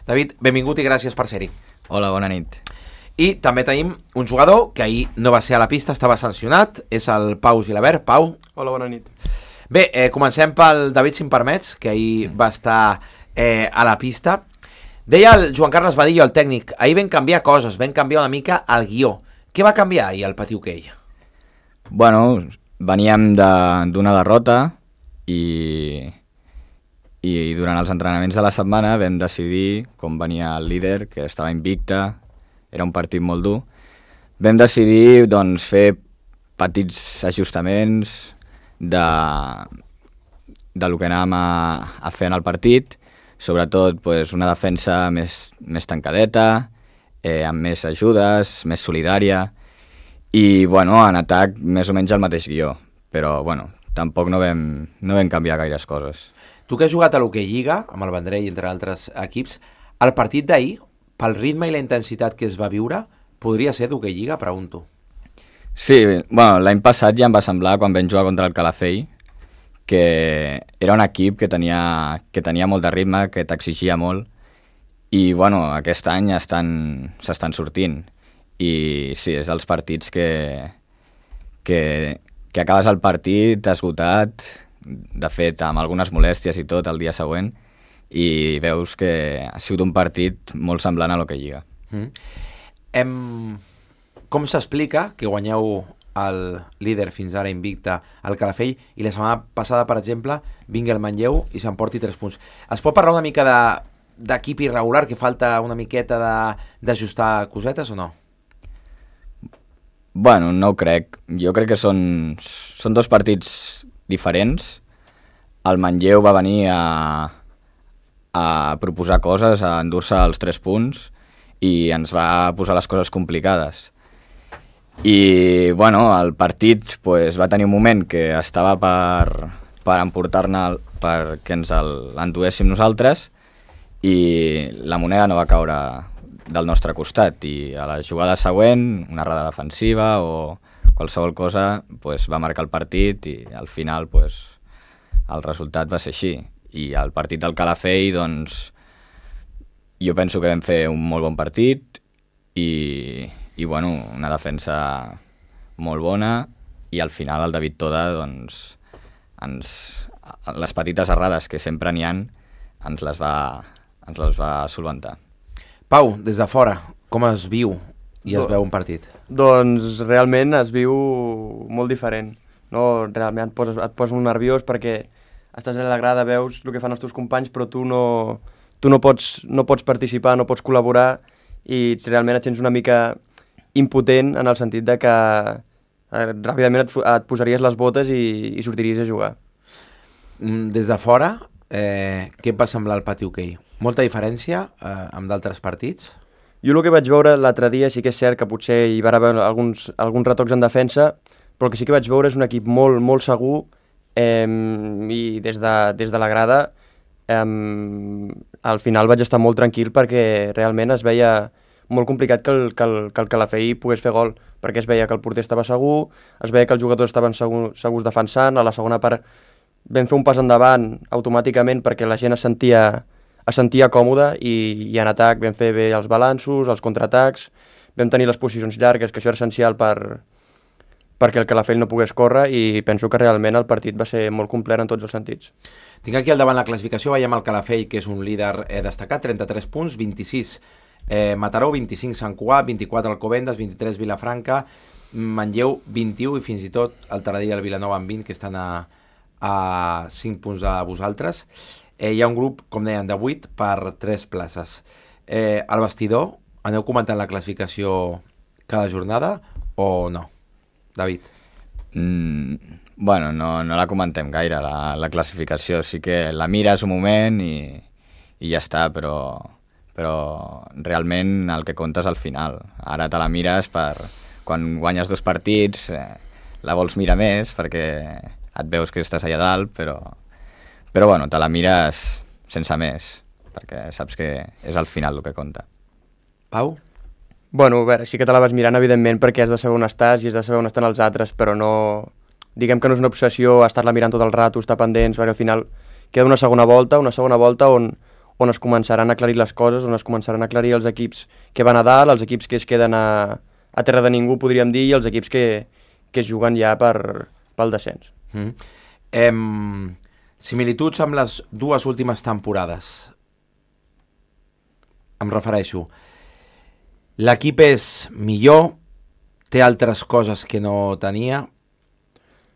David, benvingut i gràcies per ser-hi. Hola, bona nit. I també tenim un jugador que ahir no va ser a la pista, estava sancionat, és el Pau Gilabert. Pau. Hola, bona nit. Bé, comencem pel David, si em permets, que ahir va estar a la pista. Deia el Joan Carles Badillo, el tècnic, ahir vam canviar coses, vam canviar una mica el guió. Què va canviar ahir al Patí Hoquei? Bueno, veníem d'una derrota i durant els entrenaments de la setmana vam decidir, com venia el líder, que estava invicte, era un partit molt dur, vam decidir doncs, fer petits ajustaments de lo que anàvem a fer en el partit, sobretot pues, una defensa més tancadeta, amb més ajudes, més solidària, i bueno, en atac més o menys el mateix guió, però bueno, tampoc no vam canviar gaires coses. Tu que has jugat a l'Hoquei Lliga, amb el Vendrell, entre altres equips, el partit d'ahir, pel ritme i la intensitat que es va viure, podria ser d'Hoquei Lliga, pregunto. Sí, bueno, l'any passat ja em va semblar, quan vam jugar contra el Calafell, que era un equip que tenia molt de ritme, que t'exigia molt, i bueno, aquest any s'estan sortint. I sí, és dels partits que acabes el partit esgotat, de fet, amb algunes molèsties i tot el dia següent, i veus que ha sigut un partit molt semblant a l'Hoquei Lliga. Com s'explica que guanyeu el líder fins ara invicte al Calafell i la setmana passada, per exemple, vingui el Manlleu i s'emporti 3 punts? Es pot parlar una mica d'equip irregular, que falta una miqueta d'ajustar cosetes o no? Bueno, no ho crec. Jo crec que són dos partits diferents. El Manlleu va venir a proposar coses, a endur-se els 3 punts i ens va posar les coses complicades. I bueno, el partit pues, va tenir un moment que estava per emportar-ne, perquè ens l'enduéssim nosaltres, i la moneda no va caure del nostre costat, i a la jugada següent, una errada defensiva o qualsevol cosa, pues, va marcar el partit i al final pues, el resultat va ser així. I el partit del Calafell, doncs, jo penso que vam fer un molt bon partit i bueno, una defensa molt bona, i al final el David Toda, doncs, les petites errades que sempre n'hi ha, ens les va solventar. Pau, des de fora, com es viu i es veu un partit? Doncs realment es viu molt diferent. No? Realment et poses molt nerviós perquè estàs a la grada, veus el que fan els teus companys, però tu no pots participar, no pots col·laborar, i realment et sents una mica impotent en el sentit de que ràpidament et posaries les botes i sortiries a jugar. Des de fora, què et va semblar el Patí Hoquei? Molta diferència amb d'altres partits? Jo el que vaig veure l'altre dia sí que és cert que potser hi va haver alguns retocs en defensa, però el que sí que vaig veure és un equip molt, molt segur, i des de la grada al final vaig estar molt tranquil perquè realment es veia molt complicat que el Calafell pogués fer gol, perquè es veia que el porter estava segur, es veia que els jugadors estaven segurs defensant. A la segona part vam fer un pas endavant automàticament perquè la gent es sentia còmoda, i en atac vam fer bé els balanços, els contraatacs, vam tenir les posicions llargues, que això era essencial perquè el Calafell no pogués córrer, i penso que realment el partit va ser molt complet en tots els sentits. Tinc aquí al davant la classificació, veiem el Calafell, que és un líder destacat, 33 punts, 26 Mataró, 25 Sant Cugat, 24 Alcobendas, 23 Vilafranca, Manlleu 21, i fins i tot el Taradell i el Vilanova amb 20, que estan a 5 punts de vosaltres. Hi ha un grup, com deien, de 8 per 3 places. Al vestidor, aneu comentant la classificació cada jornada o no? David? Bueno, no la comentem gaire, la classificació. Sí que la mires un moment i ja està, però realment el que compta és al final. Ara te la mires quan guanyes 2 partits, la vols mirar més perquè et veus que estàs allà dalt, però bueno, te la mires sense més, perquè saps que és al final el que compta. Pau? Bueno, a veure, sí que te la vas mirant, evidentment, perquè has de saber on estàs i has de saber on estan els altres, però no... Diguem que no és una obsessió estar-la mirant tot el rato, estar pendents, perquè al final queda una segona volta on on es començaran a aclarir les coses, on es començaran a aclarir els equips que van a dalt, els equips que es queden a terra de ningú, podríem dir, i els equips que es juguen ja pel descens. Similituds amb les dues últimes temporades. Em refereixo. L'equip és millor, té altres coses que no tenia,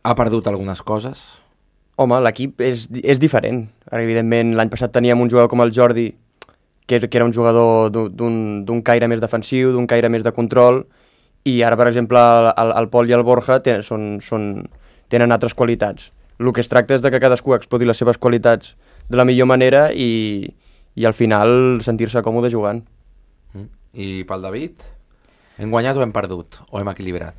ha perdut algunes coses. Home, l'equip és diferent. Ara, evidentment, l'any passat teníem un jugador com el Jordi, que era un jugador d'un caire més defensiu, d'un caire més de control, i ara, per exemple, el Pol i el Borja tenen altres qualitats. El que es tracta és de que cadascú exploti les seves qualitats de la millor manera i al final sentir-se còmode jugant. I pel David? Hem guanyat o hem perdut? O hem equilibrat?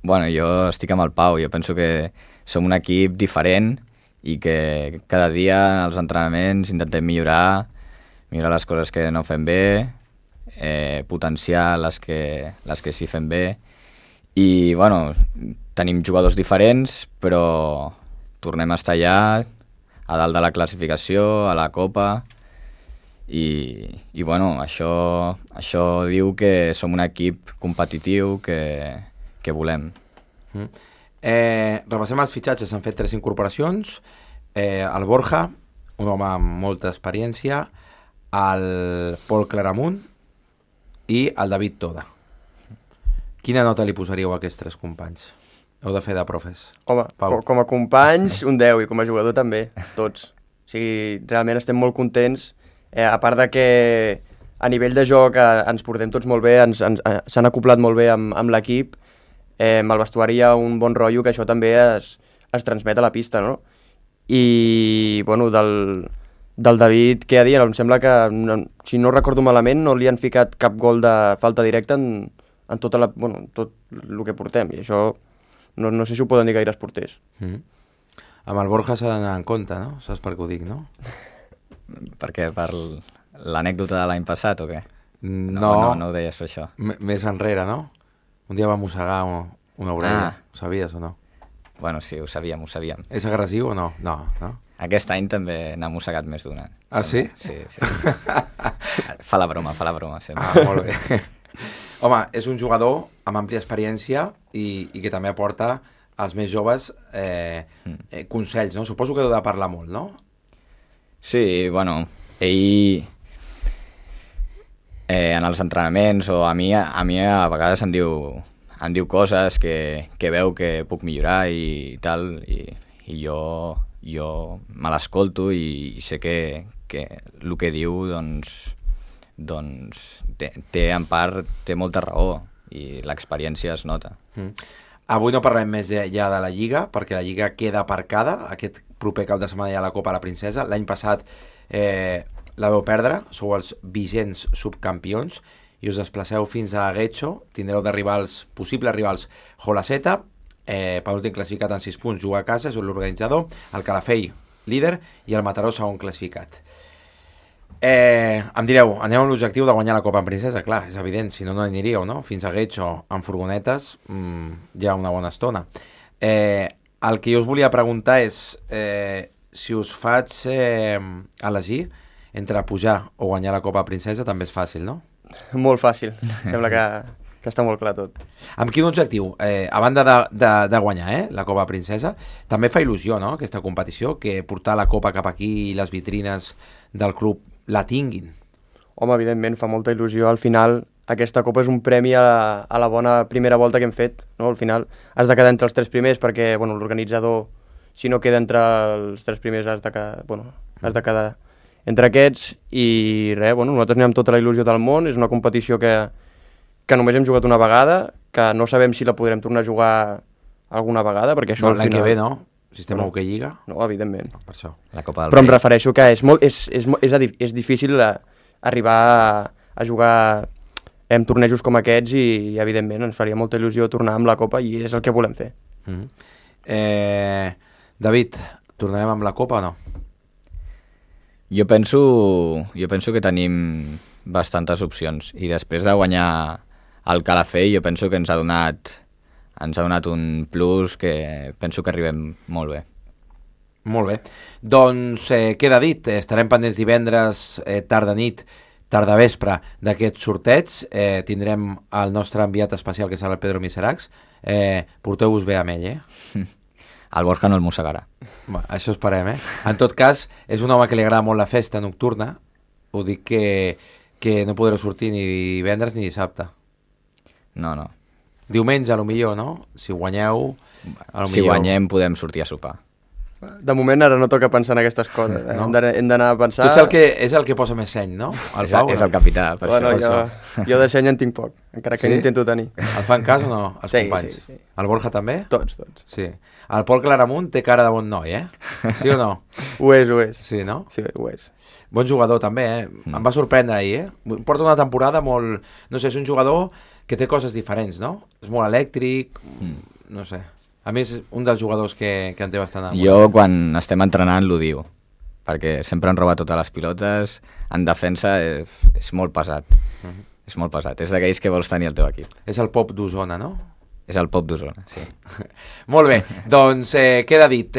Bueno, jo estic amb el Pau. Jo penso que som un equip diferent i que cada dia als entrenaments intentem millorar les coses que no fem bé, potenciar les que sí fem bé. I, bueno, tenim jugadors diferents, però tornem a estar allà, a dalt de la classificació, a la Copa, i bueno, això diu que som un equip competitiu que volem. Repassem els fitxatges, s'han fet 3 incorporacions. El Borja, un home amb molta experiència, el Pol Claramunt i el David Toda. Quina nota li posaríeu a aquests 3 companys? Heu de fer de profes. Home, com a companys, un 10, i com a jugador també, tots. O sigui, realment estem molt contents, a part de que a nivell de joc ens portem tots molt bé, s'han acoplat molt bé amb l'equip, amb el vestuari hi ha un bon rotllo, que això també es transmet a la pista, no? I, bueno, del David, què ha dit? Em sembla que, si no recordo malament, no li han ficat cap gol de falta directa en tot el que portem, i això no sé si ho poden dir gaires porters. Amb el Borja s'ha d'anar en compte, no? Saps per què ho dic, no? Per què? Per l'anècdota de l'any passat o què? No ho deies per això. Més enrere, no? Un dia va mossegar una orella. Ho sabies o no? Bueno, sí, ho sabíem. És agressiu o no? No. Aquest any també n'ha mossegat més d'una. Ah, sí? Sí. Fa la broma, sempre. Molt bé. Home, és un jugador amb àmplia experiència i que també aporta als més joves consells, no? Suposo que heu de parlar molt, no? Sí, bueno, ell en els entrenaments o a mi a vegades em diu coses que veu que puc millorar i tal, i jo me l'escolto i sé que el que diu doncs té en part molta raó i l'experiència es nota. Avui no parlem més ja de la Lliga, perquè la Lliga queda aparcada. Aquest proper cap de setmana hi ha la Copa a la Princesa. L'any passat la veu perdre, sou els vigents subcampions i us desplaceu fins a Guecho. Tindreu de possibles rivals Jolaceta, penúltim classificat en 6 punts, juga a casa, és l'organitzador, el Calafell, líder, i el Mataró, segon classificat. Em direu, anem amb l'objectiu de guanyar la Copa en Princesa? Clar, és evident, si no aniríeu, no? Fins a Guecho amb furgonetes ja una bona estona. El que jo us volia preguntar és si us faig elegir entre pujar o guanyar la Copa Princesa, també és fàcil, no? Molt fàcil, sembla que està molt clar tot. Amb quin objectiu? A banda de guanyar la Copa Princesa, també fa il·lusió, no?, aquesta competició, que portar la Copa cap aquí i les vitrines del club la tinguin. Home, evidentment, fa molta il·lusió. Al final, aquesta Copa és un premi a la bona primera volta que hem fet, no? Al final has de quedar entre els 3 primers perquè, bueno, l'organitzador, si no queda entre els 3 primers, has de quedar entre aquests i res, bueno, nosaltres anem amb tota la il·lusió del món. És una competició que només hem jugat una vegada, que no sabem si la podrem tornar a jugar alguna vegada, perquè això al final... L'any que ve, no? Sistema Hockey Lliga? No, evidentment. Per això. La Copa del Però em Rei. refereixo que és difícil arribar a jugar en tornejos com aquests i evidentment ens faria molta il·lusió tornar amb la Copa i és el que volem fer. David, tornarem amb la Copa o no? Jo penso que tenim bastantes opcions i després de guanyar el Calafell jo penso que ens ha donat un plus que penso que arribem molt bé. Molt bé. Doncs queda dit, estarem pendents divendres, tarda nit, tarda vespre d'aquest sorteig. Tindrem el nostre enviat especial, que serà el Pedro Miseracs. Porteu-vos bé amb ell, El Borja no el mossegarà. Això esperem, En tot cas, és un home que li agrada molt la festa nocturna. Ho dic que no podreu sortir ni divendres ni dissabte. No. Diumenge, a lo millor, no? Si guanyeu... Si guanyem podem sortir a sopar. De moment ara no toca pensar en aquestes coses. No? Hem d'anar a pensar... Tu és el que posa més seny, no? El Pau, és el capità, per Bueno, això. jo de seny en tinc poc, encara que n'intento tenir. El fan cas o no, els Sí, companys? sí. El Borja també? Tots. Sí. El Pol Claramunt té cara de bon noi, Sí o no? Ho és. Sí, no? Sí, ho és. Bon jugador també, Em va sorprendre ahir, Porta una temporada molt... No sé, és un jugador que té coses diferents, no? És molt elèctric, no sé. A més, és un dels jugadors que en té bastant amor. Jo, quan estem entrenant, l'ho diu, perquè sempre en roba totes les pilotes, en defensa és molt pesat. És molt pesat, és d'aquells que vols tenir al teu equip. És el Pop d'Osona, no? És el Pop d'Osona, sí. Molt bé, doncs queda dit.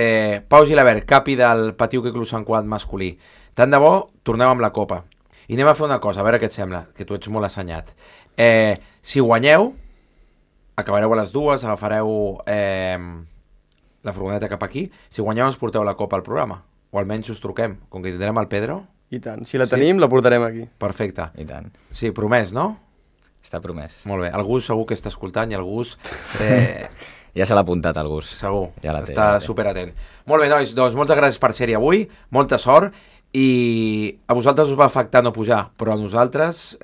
Pau Gilabert, capi del Patiu que Club Sant Cugat masculí. Tant de bo, tornem amb la Copa. I anem a fer una cosa, a veure què et sembla, que tu ets molt assenyat. Si guanyeu, acabareu a les 2, agafareu la furgoneta cap aquí. Si guanyeu, ens porteu la Copa al programa. O almenys us truquem, com que tindrem el Pedro. I tant. Si la tenim, la portarem aquí. Perfecte. I tant. Sí, promès, no? Està promès. Molt bé. El Gus segur que està escoltant i el Gus... Ja se l'ha apuntat el Gus. Segur, ja la té, està superatent. Molt bé, nois, doncs moltes gràcies per ser-hi avui, molta sort, i a vosaltres us va afectar no pujar, però a nosaltres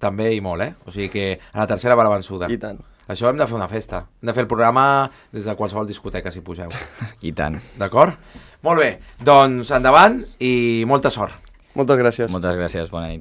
també i molt, O sigui que a la tercera va la vençuda. I tant. Això hem de fer una festa. Hem de fer el programa des de qualsevol discoteca, si pugeu. I tant. D'acord? Molt bé, doncs endavant i molta sort. Moltes gràcies. Moltes gràcies, bona nit.